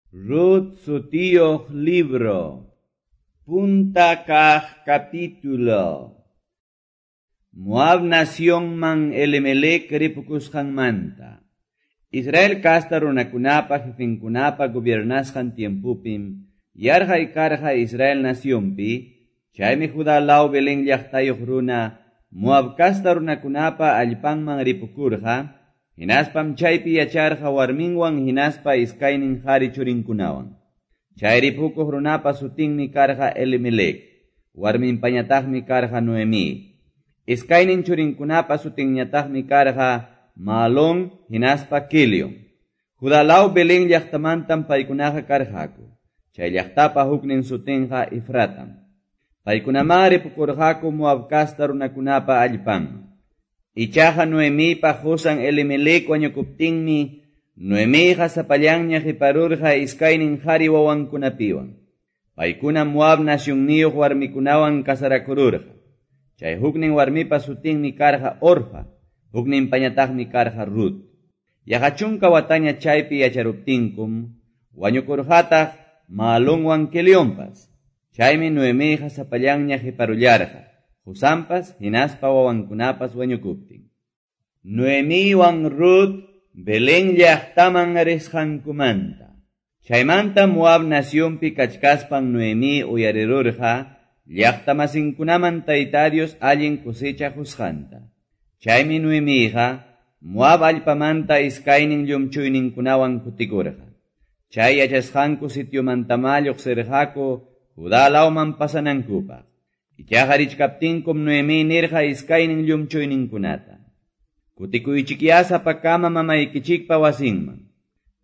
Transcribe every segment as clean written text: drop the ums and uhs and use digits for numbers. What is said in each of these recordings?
Rut sutiyuq libro. Punta kaq capítulo. Moab nacionman Elimelec ripukusqanmanta. Israel kasta runakunapa jefenkunapa gobiernasqan tiempupim yarqay karqa Israel nacionpi, chaymi Judá law Belén llaqtayuq runa Moab kasta runakunapa allpanman ripukurqa, hinaspam chaypi yacharqa warminwan hinaspa iskaynin qhari churinkunawan. Chay ripukuq runapa sutinmi karqa Elimelec, warminpañataqmi karqa Noemí. Iskaynin churinkunapa sutinñataqmi karqa Maalón hinaspa Quilion. Judá law Belén llaqtamantam paykunaqa karqaku. Chay llaqtapa huknin sutinqa Efratam. Paykunaman ripukurqaku Moab kasta runakunapa allpanman. Ichaqa Noemipa qusan Elimelec wañukuptinmi Noemiqa sapallanña qiparurqa iskaynin qhari wawankunapiwan. Paykuna Moab nacionniyuq warmikunawan kasarakururqa. Chay huknin warmipa sutinmi karqa Orfa, hukninpañataqmi karqa Rut. Yaqa chunka wataña chaypi yacharuptinkum, wañukurqataq Maalonwan Quelionpas. Chaymi Noemiqa sapallanña qiparullarqa, qusanpas hinaspa wawankunapas wañukuptin. Noemiwan Rut Belén llaqtaman risqankumanta. Chaymanta Moab nacionpi kachkaspan Noemí uyarirurqa llaqtamasinkunaman Tayta Dios allin cosecha qusqanta. Chaymi Noemiqa Moab allpamanta iskaynin llumchuyninkunawan kutikurqa. Chay yachasqanku sitiomantamá lluqsirqaku Judá lawman pasanankupaq. Ichaqa richkaptinkum Noemí nirqa iskaynin llumchuyninkunata. Kutikuychikyá sapakama mamaykichikpa wasinman.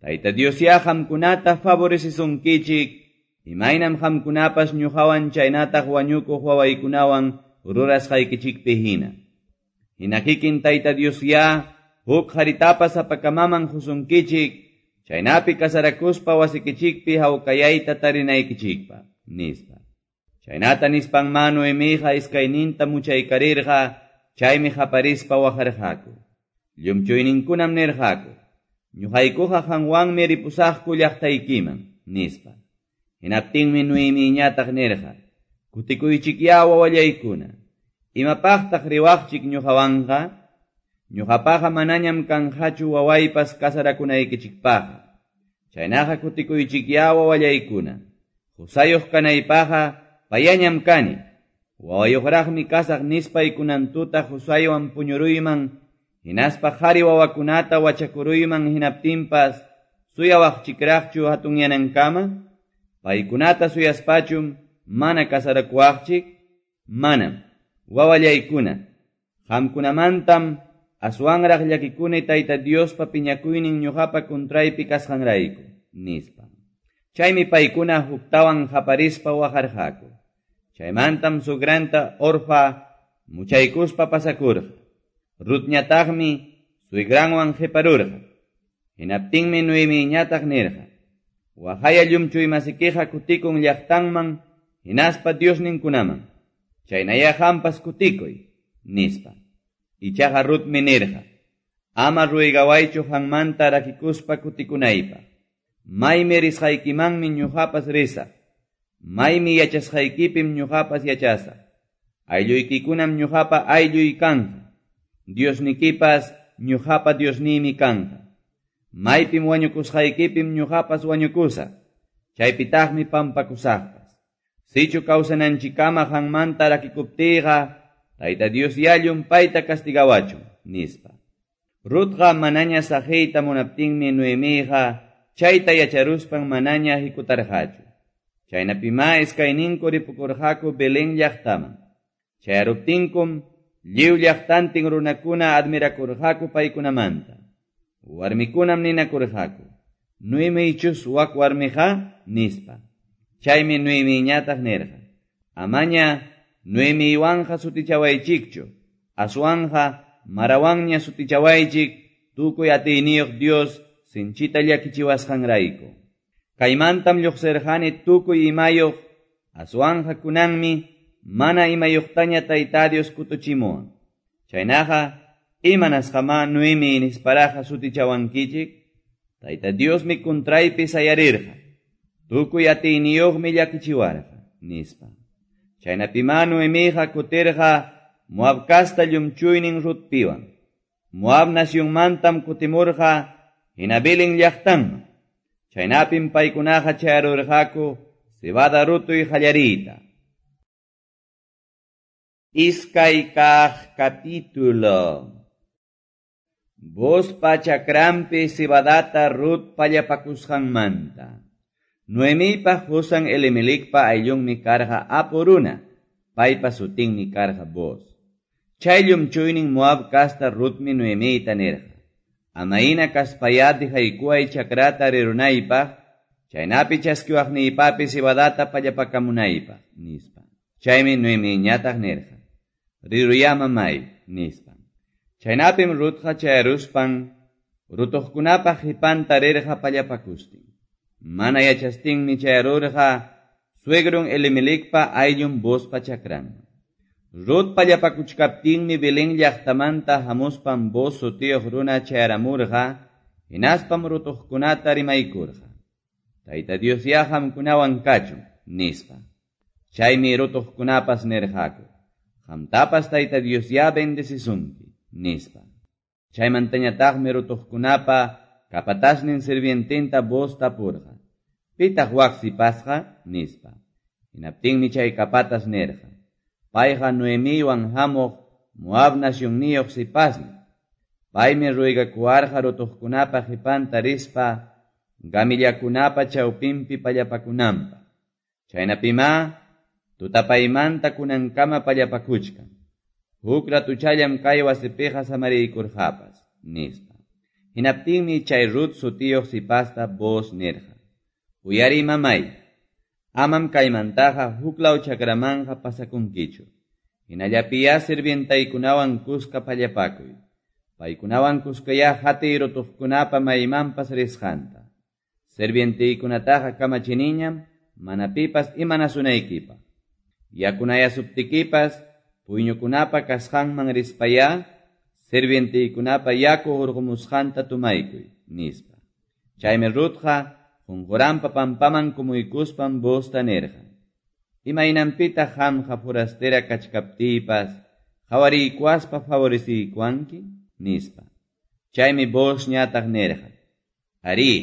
Tayta Diosyá qamkunata favorecisunkichik, imaynam qamkunapas ñuqawan chaynataq wañukuq wawaykunawan rurasqaykichikpi hina. Hina kikin Tayta Diosyá huk qharitapas sapakamaman qusunkichik, chaynapi kasarakuspa wasikichikpi hawkayayta tarinaykichikpaq, nispa. Chaynata nispanmá Noemiqa iskayninta muchaykarirqa, chaymi qaparispa waqarqaku. Llumchuyninkunam nirqaku, ñuqaykuqa qanwanmi ripusaqku llaqtaykiman, nispa. Hinaptinmi Noemiñataq nirqa, kutikuychikyá wawallaykuna, imapaqtaq riwaqchik ñuqawanqa? Ñuqapaqa manañam kanqachu wawaypas kasarakunaykichikpaqqa. Chaynaqa kutikuychikyá wawallaykuna, qusayuq kanaypaqqa payañam kani. Wawayuqraqmi kasaq nispay kunan tuta qusaywan puñuruyman, hinaspa qhari wawakunata wachakuruyman hinaptinpas suyawaqchikraqchu hatunyanankama? Paykunata suyaspachum mana kasarakuwaqchik? Manam. Wawallaykuna, qamkunamantam aswanraq llakikuni Tayta Diospa piñakuynin ñuqapa kuntraypi kasqanrayku, nispa. Chaymi paykuna huktawan qaparispa waqarqaku. Chaymantam sugranta Orfa muchaykuspa pasakurqa. Rutñataqmi suegranwan qiparurqa. Hinaptinmi Noemiñataq nirqa, waqaya llumchuymasikiqa kutikun llaqtanman hinaspa Diosninkunaman. Chaynayá qampas kutikuy, nispa. Ichaqa Rutmi nirqa, ama ruygawaychu qanmanta rakikuspa kutikunaypaq. Maymi risqaykimanmi ñuqapas risaq. Maymi yachasqaykipim ñuqapas yachasaq. Aylluykikunam ñuqapa aylluy kanqa. Diosnikipas ñuqapa Diosniymi kanqa. Maypim wañukusqaykipim ñuqapas wañukusaq. Chaypitaqmi pampakusaqpas. Sichu kawsananchikkama qanmanta rakikuptiyqa, Tayta Dios ya llumpayta castigawachun, nispa. Rutqa manaña saqiyta munaptinmi Noemiqa chayta yacharuspan manaña hikutarqachu. Chaynapimá iskayninku ripukurqaku Belén llaqtaman. Chayaruptinkum lliw llaqtantin runakuna admirakurqaku paykunamanta. Warmikunam ninakurqaku, Noemichus wak warmiqa, nispa. Chaymi Noemiñataq nirqa, amaña Noemiwanqa sutichawaychikchu, aswanqa Marawanña sutichawaychik tukuy atiyniyuq Dios sinchita llakichiwasqanrayku. Kaymantam lluqsirqani tukuy imayuq, aswanqa kunanmi mana imayuqtaña Tayta Dios kutuchimuwan. Chaynaqa imanasqamá Noemi nisparaqa sutichawankichik? Tayta Diosmi kuntraypi sayarirqa. Tukuy atiyniyuqmi llakichiwarqa, nispa. Chaynapimá Noemiqa kutirqa Moab casta llumchuynin Rutpiwan. Moab nacionmantam kutimurqa hina Belén llaqtanman. Chaynapim paykunaqa chayarurqaku cebada rutuy qallariyta. Iskay kaq capítulo. Boozpa chakranpi cebadata Rut pallapakusqanmanta. Noemipa qusan Elimelecpa ayllunmi karqa apu runa, paypa sutinmi karqa Booz. Chay llumchuynin Moab casta Rutmi Noemita nirqa: Amayna kaspayá dejaykuway chakrata rirunaypaq, chaynapi chaskiwaqniypapi cebadata pallapakamunaypaq, nispa. Chaymi Noemiñataq nirqa: Riruyá mamay, nispa. Chaynapim Rutqa chayaruspan rutuqkunapa qipanta rirqa pallapakustin. Mana yachastinmi chayarurqa suegron Elimelecpa ayllun Boozpa chakranman. Rut pallapakuchkaptinmi Belén llaqtamanta hamuspan Booz sutiyuq runa chayaramurqa, hinaspam rutuqkunata rimaykurqa: Tayta Diosyá qamkunawan kachun, nispa. Chaymi rutuqkunapas nirqaku: Qamtapas Tayta Diosyá bendecisunki, nispa. Chaymantañataqmi rutuqkunapa capatasnin sirviententa Booz tapurqa: Pitaq wak sipasqa? Nispa. Hinaptinmi chay capatas nirqa: Payqa Noemiwan hamuq Moab nacionniyuq sipasmi. Paymi ruegakuwarqa rutuqkunapa qipanta rispa gamillakunapa chawpinpi pallapakunanpaq. Chaynapimá tutapaymanta kunankama pallapakuchkan. Huk ratuchallam kay wasipiqa samariykurqapas, nispa. Hinaptinmi chay Rut sutiyuq sipasta Booz nirqa: Uyariy mamay, amam kaymantaqa huklaw chakramanqa pasakunkichu. Hinallapiyá sirvientaykunawan kuska pallapakuy. Paykunawan kuskayá hatiy rutuqkunapa maymanpas risqanta. Sirvientaykunataqa kamachiniñam mana pipas imanasunaykipaq. Yakunayasuptikipas puyñukunapa kasqanman rispayá sirvientaykunapa yaku hurqumusqanta tomaykuy, nispa. Chaymi Rutqa qunquranpa pampaman kumuykuspan Boozta nirqa: Imaynanpitaq qamqa forastera kachkaptiypas qawariykuwaspa favoreciykuwanki, nispa. Chaymi Boozñataq nirqa: Arí,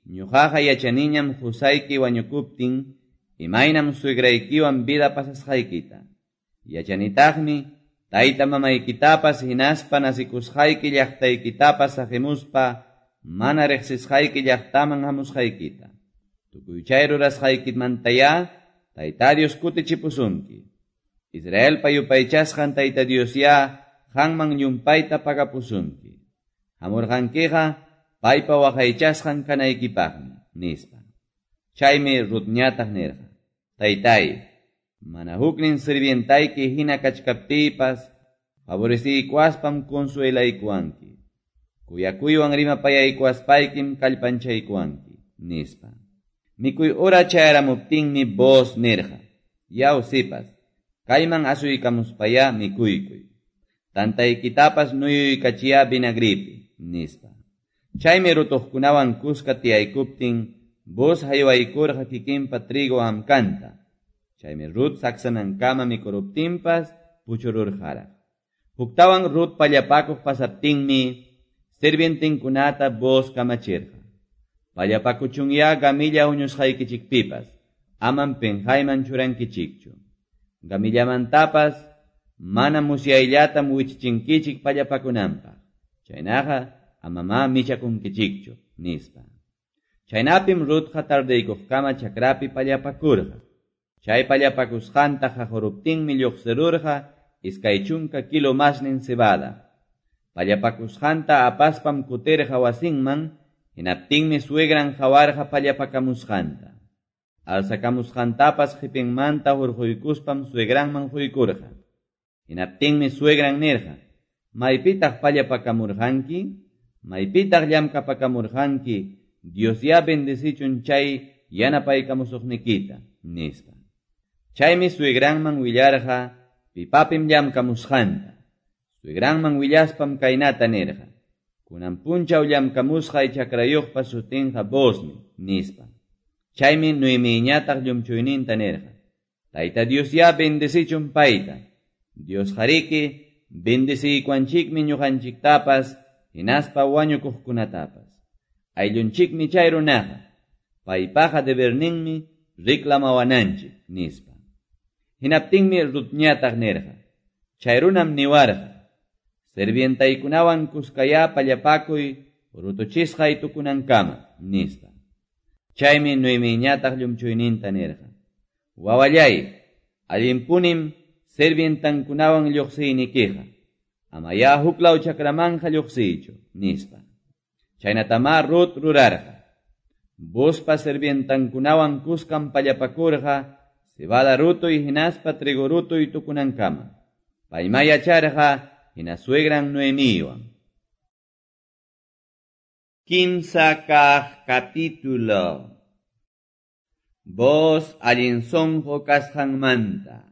ñuqaqa yachaniñam qusayki wañukuptin imaynam suegraykiwan vida pasasqaykita. Yachanitaqmi tayta mamaykitapas hinaspa nasikusqayki llaqtaykitapas saqimuspa mana riqsisqayki llaqtaman hamusqaykita. Tukuy chay rurasqaykimantayá Tayta Dios kutichipusunki. Israelpa yupaychasqan Tayta Diosyá qanman llumpayta pagapusunki. Hamurqankiqa paypa waqaychasqan kanaykipaqmi, nispa. Chaymi Rutñataq nirqa: Taytay, mana huknin sirvientayki hina kachkaptiypas favoreciykuwaspam consuelaykuwanki. Kuyakuywan rimapayaykuwaspaykim kallpanchaykuwanki, nispa. Mikuy hora chayaramuptinmi Booz nirqa: Yaw sipas, kayman asuykamuspayá mikuykuy. Tantaykitapas nuyuykachiyá vinagripi, nispa. Chaymi rutuqkunawan kuska tiyaykuptin Booz haywaykurqa kikinpa trigo hamkanta. Chaymi Rut saksanankama mikuruptinpas puchururqaraq. Huktawan Rut pallapakuq pasaptinmi sirvientinkunata Booz kamachirqa: Pallapakuchunyá gamilla huñusqaykichikpipas, amam penqayman churankichikchu. Gamillamantapas mana musyayllatam wichichinkichik pallapakunanpaq. Chaynaqa amamá michakunkichikchu, nispa. Chaynapim Rutqa tardeykuqkama chakrapi pallapakurqa. Chay pallapakusqanta qaquruptinmi lluqsirurqa 20 kilo masnin cebada. Pallapakusqanta apaspam kutirqa wasinman, hinaptinmi suegran qawarqa pallapakamusqanta. Alzakamusqantapas qipinmanta hurquykuspam suegranman quykurqa. Hinaptinmi suegran nirqa: Maypitaq pallapakamurqanki? Maypitaq llamkapakamurqanki? Diosyá bendecichun chay yanapaykamusuqnikita, nispa. Chaymi suegranman willarqa pipapim llamkamusqanta. Suegranman willaspam kaynata nirqa: Kunan punchaw llamkamusqay chakrayuqpa sutinqa Boozmi, nispa. Chaymi Noemiyñataq llumchuyninta nirqa, Tayta Diosyá bendecichun payta. Diosqariki bendeciykuwanchikmi ñuqanchiktapas hinaspa wañukuqkunatapas. Ayllunchikmi chay runaqa. Paypaqa deberninmi reclamawananchik, nispa. Hinaptinmi Rutñataq nirqa, Chay runam niwarqa, Sirvientaykunawan kuskayá pallapakuy rutuchisqay tukunankama, nispa. Chaymi Noemiyñataq llumchuyninta nirqa, Wawallay, allinpunim sirvientankunawan lluqsiynikiqa, amayá huklaw chakramanqa lluqsiychu, nispa. Chaynatamá Rut rurarqa. Boozpa sirvientankunawan kuskam pallapakurqa cebada rutuy hinaspa trigo rutuy tukunankama. Paymá yacharqa hina suegran Noemiywan. Kimsa kaq capítulo. Booz allin sunqu kasqanmanta.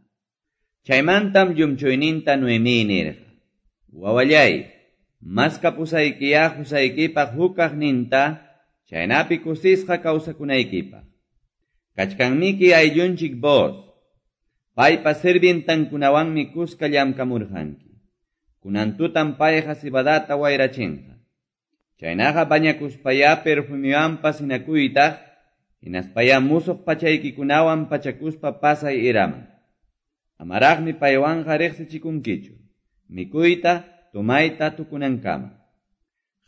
Chaymantam llumchuyninta Noemí nirqa, Wawallay, maskapusaykiyá qusaykipaq huk kaqninta, chaynapi kusisqa kawsakunaykipaq. Kachkanmiki ayllunchik Booz. Paypa sirvientankunawanmi kuska llamkamurqanki. Kunan tutam payqa cebadata wayrachinqa. Chaynaqa bañakuspayá perfumewanpas hinakuytaq, hinaspayá musuq pachaykikunawan pachakuspa pasay eraman. Amaraqmi paywanqa riqsichikunkichu, mikuyta, tomayta tukunankama.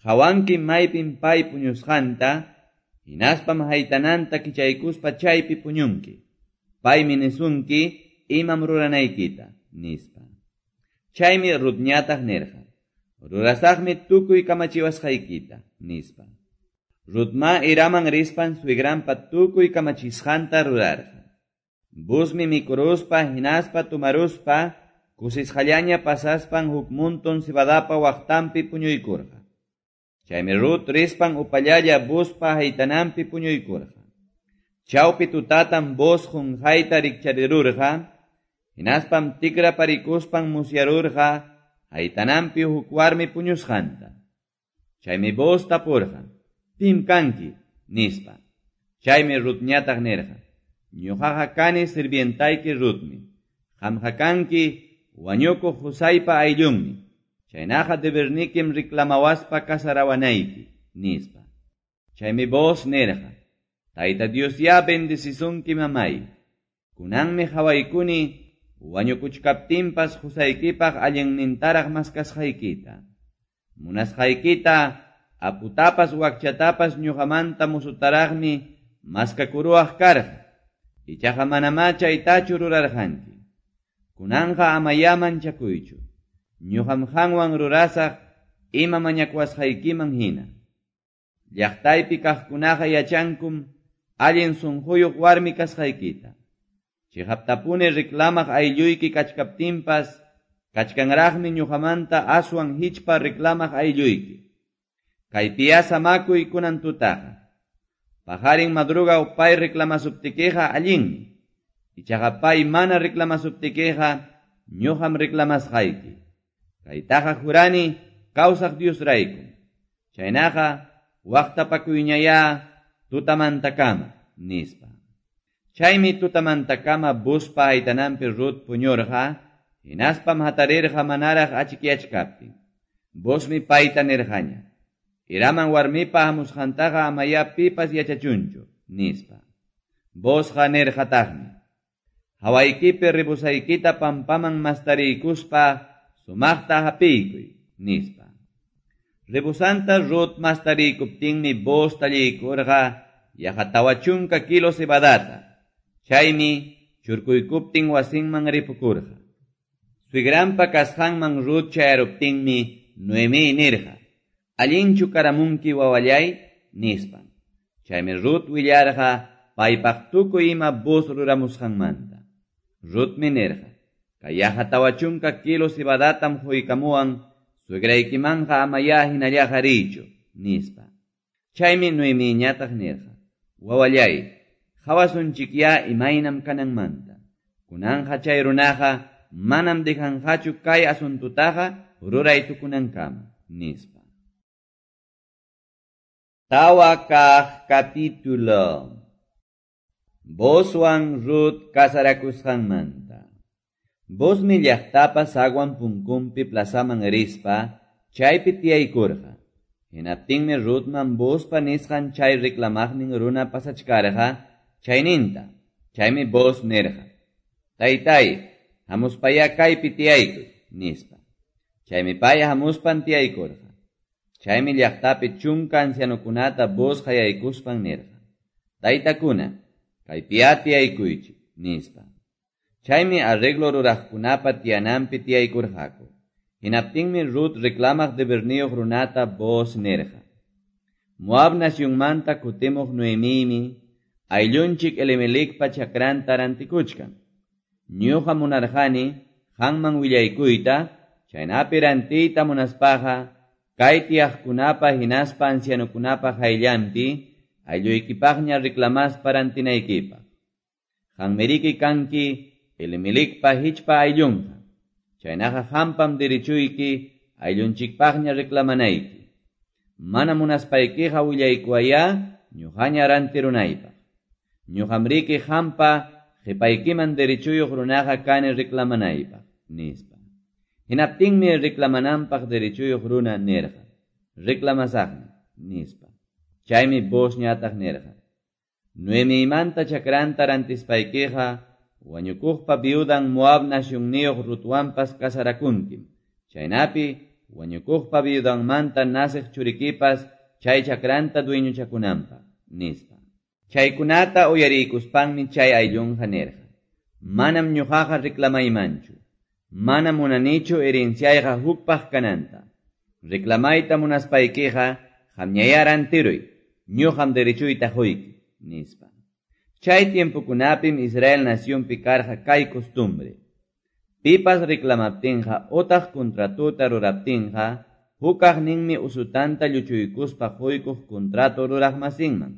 Qawankim maypim pay puñusqanta, hinaspam haytananta kichaykuspa chaypi puñunki. Paymi nisunki imam ruranaykita, nispa. Chaymi Rutñataq nirqa, Rurasaqmi tukuy kamachiwasqaykita, nispa. Rutmá eraman rispan suegranpa tukuy kamachisqanta rurarqa. Boozmi mikuruspa hinaspa tomaruspa kusisqallaña pasaspan huk monton cebadapa waqtanpi puñuykurqa. Chaymi Rut rispan upallalla Boozpa haytananpi puñuykurqa. Chawpi tutatam Booz qunqayta rikcharirurqa, hinaspam tikraparikuspan musyarurqa haytananpi huk warmi puñusqanta. Chaymi Booz tapurqa, Pim kanki? nispa. Chaymi Rutñataq nirqa, Ñuqaqa kani sirvientayki Rutmi. Qamqa kanki wañukuq qusaypa ayllunmi. Chaynaqa debernikim reclamawaspa casarawanayki, nispa. Chaymi Booz nirqa, Tayta Diosyá bendecisunki mamay. Kunanmi qawaykuni wañukuchkaptinpas qusaykipaq allinnintaraq maskasqaykita. Munasqaykita aputapas wakchatapas ñuqamanta musutaraqmi maskakuruwaq karqa. Ichaqa manamá chaytachu rurarqanki. Kunanqa amayá manchakuychu. Ñuqam qanwan rurasaq ima mañakuwasqaykiman hina. Llaqtaypi kaqkunaqa yachankum allin sunquyuq warmi kasqaykita. Chiqaptapuni reclamaq aylluyki kachkaptinpas, kachkanraqmi ñuqamanta aswan hichpa reclamaq aylluyki. Kaypiyá samakuy kunan tutaqa. Paqarin madrugaw pay reclamasuptikiqa allinmi. Ichaqa pay mana reclamasuptikiqa ñuqam reclamasqayki. Kaytaqa jurani kawsaq Diosraykum. Chaynaqa waqtapakuyñayá tutamantakama, nispa. Chaymi tutamantakama Boozpa haytananpi Rut puñurqa, hinaspam hatarirqa manaraq achikyachkaptin. Boozmi payta nirqaña, Eraman warmipa hamusqantaqa amayá pipas yachachunchu, nispa. Boozqa nirqataqmi, Hawaykipi rebosaykita pampaman mastariykuspa sumaqta hapiykuy, nispa. Rebosanta Rut mastariykuptinmi Booz talliykurqa yaqa 40 kilo cebadata. Chaymi churkuykuptin wasinman ripukurqa. Suegranpa kasqanman Rut chayaruptinmi Noemí nirqa, Allinchu karamunki wawallay, nispa. Chaymi Rut willarqa paypaq tukuy ima Booz ruramusqanmanta. Rutmi nirqa, Kay yaqa 40 kilo cebadatam quykamuwan, suegraykimanqa amayá hinallaqa riychu, nispa. Chaymi Noemíñataq nirqa, Wawallay, qawasunchikyá imaynam kananmanta. Kunanqa chay runaqa manam dejanqachu kay asuntutaqa ruray tukunankama, nispa. Tawa kaq capítulo. Boozwan Rut casarakusqanmanta. Boozmi llaqtapa zaguan punkunpi plazaman rispa chaypi tiyaykurqa. Hinaptinmi Rutman Boozpa nisqan chay reclamaqnin runa pasachkarqa chayninta. Chaymi Booz nirqa: Taytay, hamuspayá kaypi tiyaykuy, nispa. Chaymi pay hamuspan tiyaykurqa. Chaymi llaqtapi 10 ancianokunata Booz qayaykuspan nirqa: Taytakuna, kaypiyá tiyaykuychik, nispa. Chaymi arreglo ruraqkunapa tiyananpi tiyaykurqaku. Hinaptinmi Rut reclamaq deberniyuq runata Booz nirqa: Moab nacionmanta kutimuq Noemimi ayllunchik Elimelecpa chakranta rantikuchkan. Ñuqa munarqani qanman willaykuyta, chaynapi rantiyta munaspaqa kay tiyaqkunapa hinaspa ancianokunapa qayllanpi aylluykipaqña reclamaspa rantinaykipaq. Qanmiriki kanki Elimelecpa hichpa ayllunqa. Chaynaqa qampam derechuyki ayllunchikpaqña reclamanayki. Mana munaspaykiqa willaykuwayá ñuqaña rantirunaypaq. Ñuqamriki qampa qipaykiman derechuyuq runaqa kani reclamanaypaq, nispa. Hinaptinmi reclamananpaq derechuyuq runa nirqa: Reclamasaqmi, nispa. Chaymi Boozñataq nirqa: Noemimanta chakranta rantispaykiqa wañukuqpa viudan Moab nacionniyuq Rutwanpas casarakunkim. Chaynapi wañukuqpa viudanmanta naciq churikipas chay chakranta dueñochakunanpaq, nispa. Chaykunata uyariykuspanmi chay ayllunqa nirqa: Manam ñuqaqa reclamaymanchu. Manam munanichu herenciayqa hukpaq kananta. Reclamayta munaspaykiqa qamñayá rantiruy, ñuqam derechuyta quyki, nispa. Chay tiempokunapim Israel nacionpi karqa kay costumbre. Pipas reclamaptinqa otaq contratota ruraptinqa, hukaqninmi usutanta lluchuykuspa quykuq contrato ruraqmasinman.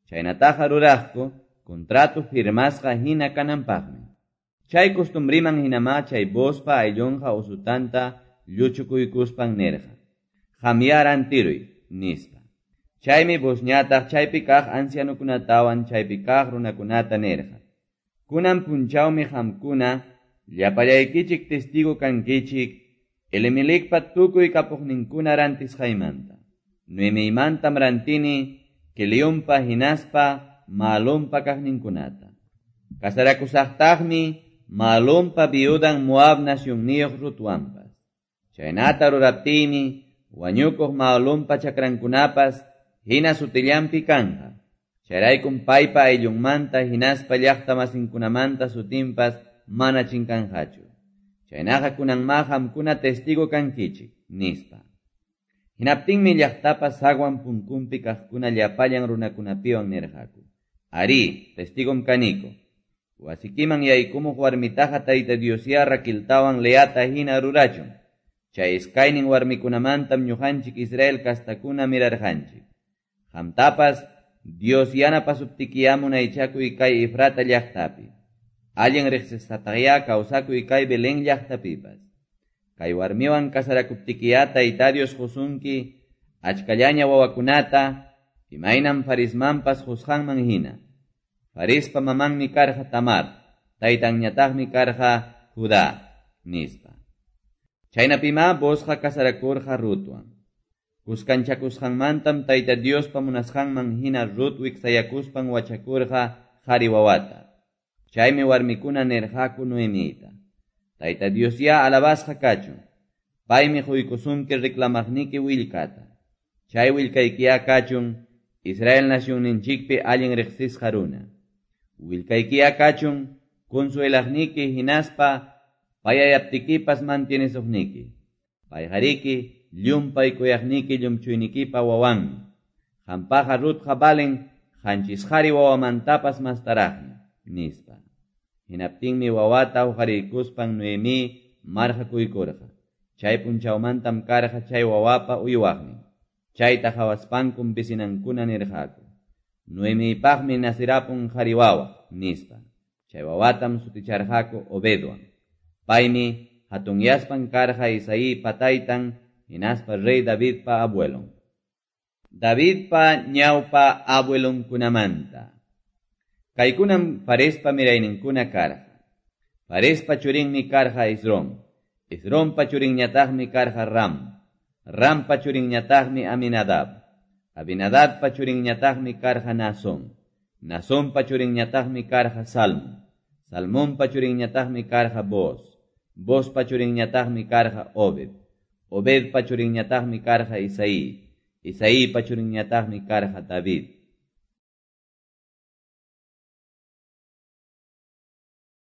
Chaynataqa ruraqku contrato firmasqa hina kananpaqmi. Chay costumbriman hinamá chay Boozpa ayllunqa usutanta lluchukuykuspan nirqa: Qamyá rantiruy, nispa. Chaymi Boozñataq chaypi kaq ancianokunatawan chaypi kaq runakunata nirqa: Kunan punchawmi qamkuna llapallaykichik testigo kankichik Elimelecpa tukuy kapuqninkuna rantisqaymanta. Noemiymantam rantini Quelionpa hinaspa Mahlonpa kaqninkunata. Casarakusaqtaqmi Mahlonpa viudan Moab nacionniyuq Rutwanpas. Chaynata ruraptiymi wañukuq Mahlonpa chakrankunapas hina sutillanpi kanqa. Chayraykum paypa ayllunmanta hinaspa llaqtamasinkunamanta sutinpas mana chinkanqachu. Chaynaqa kunanmá qamkuna testigo kankichik, nispa. Hinaptinmi llaqtapa zaguan punkunpi kaqkuna llapallan runakunapiwan nirqaku: Arí, testigom kaniko. Wasikiman yaykumuq warmitaqa Tayta Diosyá Raqueltawan Leata hina rurachun. Chay iskaynin warmikunamantam ñuqanchik Israel kastakuna mirarqanchik. Qamtapas Dios yanapasuptikiyá munaychakuy kay Efrata llaqtapi. Allin riqsisqataqyá kawsakuy kay Belén llaqtapipas. Kay warmiwan casarakuptikiyá Tayta Dios qusunki achkallaña wawakunata, imaynam Farismanpas qusqanman hina. Farispa mamanmi karqa Tamar, taytanñataqmi karqa Judá, nispa. Chaynapimá Boozqa casarakurqa Rutwan. Kuskanchakusqanmantam Tayta Diospa munasqanman hina Rut wiksayakuspan wachakurqa qhari wawata. Chaymi warmikuna nirqaku Noemita: Tayta Diosyá alabasqa kachun. Paymi quykusunki reclamaqniki willkata. Chay willkaykiyá kachun Israel nacionninchikpi allin riqsisqa runa. Willkaykiyá kachun consuelaqniki hinaspa payayaptikipas mantienesuqniki. Payqariki llumpay kuyaqniki llumchuynikipa wawanmi. Qampaqa Rutqa valen qanchis qhari wawamantapas mastaraqmi, nispa. Hinaptinmi wawata huqariykuspan Noemí marqakuykurqa. Chay punchawmantam karqa chay wawapa uywaqnin. Chayta qhawaspankum vecinankuna nirqaku: Noemiypaqmi nacirapun qhari wawa, nispa. Chay wawatam suticharqaku Obedwan. Paymi hatunyaspan karqa Isaípa taytan hinaspa rey Davidpa abuelon. Davidpa ñawpa abuelonkunamanta. Kaykunam Farespa mirayninkuna karqa. Farespa churinmi karqa Esrom. Esrompa churinñataqmi karqa Ram. Rampa churinñataqmi Aminadab. Aminadabpa churinñataqmi karqa Naasón. Naasonpa churinñataqmi karqa Salmón. Salmonpa churinñataqmi karqa Booz. Boozpa churinñataqmi karqa Obed. Obedpa churinñataqmi karqa Isaí. Isaípa churinñataqmi karqa David.